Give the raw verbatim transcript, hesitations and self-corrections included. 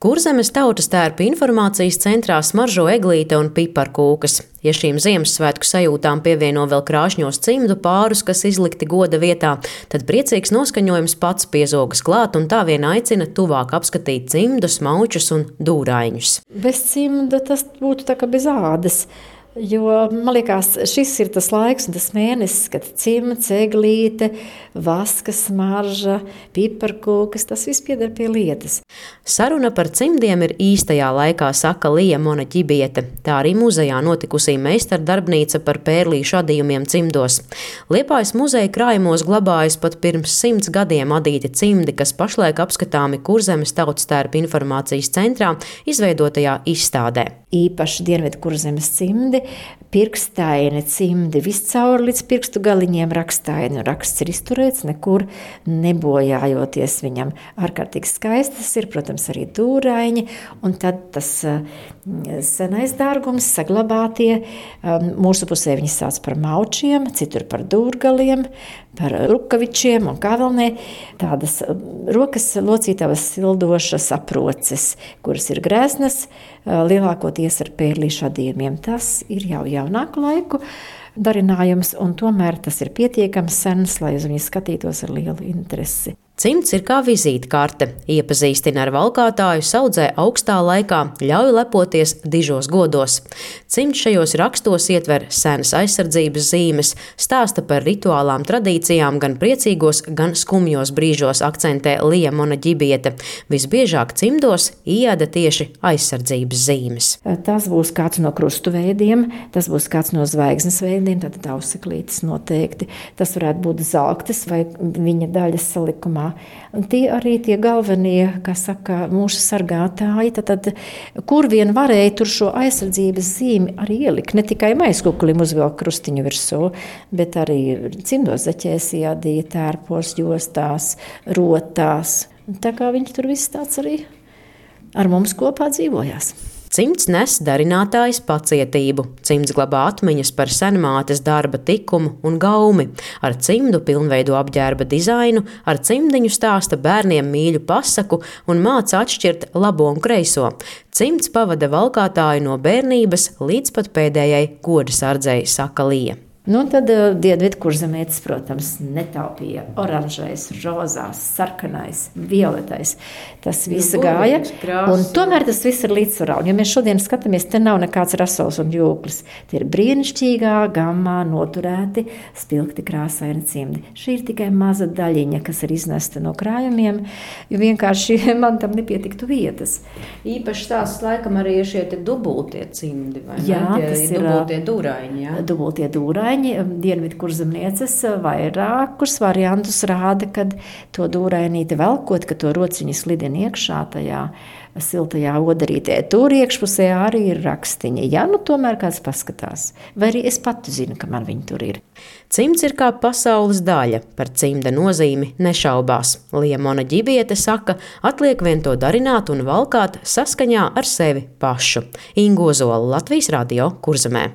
Kurzemes tautas tērpa informācijas centrā smaržo eglīte un piparkūkas. Ja šīm Ziemassvētku sajūtām pievieno vēl krāšņos cimdu pārus, kas izlikti goda vietā, tad priecīgs noskaņojums pats piezogas klāt un tā vien aicina tuvāk apskatīt cimdus, maučus un dūraiņus. Bez cimda tas būtu tā kā bez ādas. Jo, man liekas, šis ir tas laiks un tas mēnesis, kad cimds, eglīte, vaska smarža, piparkūkas, tas viss pieder pie lietas. Saruna par cimdiem ir īstajā laikā, saka Lija Monaģibiete. Tā arī muzejā notikusī meistardarbnīca par pērlīšu adījumiem cimdos. Liepājas muzeja krājumos glabājas pat pirms simts gadiem adīti cimdi, kas pašlaik apskatāmi Kurzemes tautas tērpa informācijas centrā izveidotajā izstādē. Īpaši Dienvidu Kurzemes cimdi, pirkstaini cimdi, viscaur līdz pirkstu galiņiem rakstaini. Raksts ir izturēts, nekur nebojājoties viņam. Ārkārtīgi skaistas ir, protams, arī dūraiņi, un tad tas senais dārgums, saglabātie. Mūsu pusē viņi sauc par maučiem, citur par dūrgaliem, par rukavičiem un kā vēl ne. Tādas rokas locītavas sildošas aproces, kuras ir grēsnas, lielākoties ar pērlīšu adījumiem. Tas ir jau jaunāku laiku darinājums, un tomēr tas ir pietiekams sens, lai uz viņu skatītos ar lielu interesi. Cimds ir kā vizītkarte, iepazīstina ar valkātāju, saudzē augstā laikā, ļauj lepoties dižos godos. Cimds šajos rakstos ietver senas aizsardzības zīmes, stāsta par rituālām tradīcijām gan priecīgos, gan skumjos brīžos, akcentē Lija Monaģibiete. Visbiežāk cimdos ieda tieši aizsardzības zīmes. Tas būs kāds no krustu veidiem, tas būs kāds no zvaigznes veidiem, tad auseklītes noteikti. Tas varētu būt zelktes vai viņa daļas salikumā. Un tie arī tie galvenie, kā saka, mūsu sargātāji, tad, tad kur vien varēja tur šo aizsardzības zīmi arī ielikt. Ne tikai maizkukulim uzvilkt krustiņu virsū, bet arī cimdos zaķēs iadīja tērpos, jostās, rotās. Tā kā viņi tur viss tāds arī ar mums kopā dzīvojās. Cimds nes darinātājs pacietību. Cimds glabā atmiņas par senmātes darba tikumu un gaumi. Ar cimdu pilnveido apģērba dizainu, ar cimdiņu stāsta bērniem mīļu pasaku un māca atšķirt labo un kreiso. Cimds pavada valkātāju no bērnības līdz pat pēdējai goda sardzei, saka Lija. Nu, tad uh, Dienvidu Kurzemietis, protams, netaupīja oranžais, rozās, sarkanais, violetais. Tas viss gāja, un tomēr tas viss ir līdzsvarā. Un, ja mēs šodien skatāmies, te nav nekāds rasols un jūklis. Tie ir brīnišķīgā, gammā noturēti, spilgti krāsaini cimdi. Šī ir tikai maza daļiņa, kas ir iznesta no krājumiem, jo vienkārši man tam nepietiktu vietas. Īpaši tās laikam arī ir šie te dubultie cimdi, vai jā, ne? Tas ir dubultie dūraiņi, jā? Dubultie dūraiņi. Dienvidu Kurzemnieces vairākus variantus rāda, kad to dūrainīti velkot, ka to rociņu slidina iekšā tajā siltajā odarītē. Tur iekšpusē arī ir rakstiņi. Ja nu tomēr kāds paskatās, vai arī es pati zinu, ka man viņi tur ir. Cimds ir kā pasaules daļa, par cimda nozīmi nešaubās. Lija Monaģibiete saka, atliek vien to darināt un valkāt saskaņā ar sevi pašu. Inga Ozola, Latvijas radio, Kurzemē.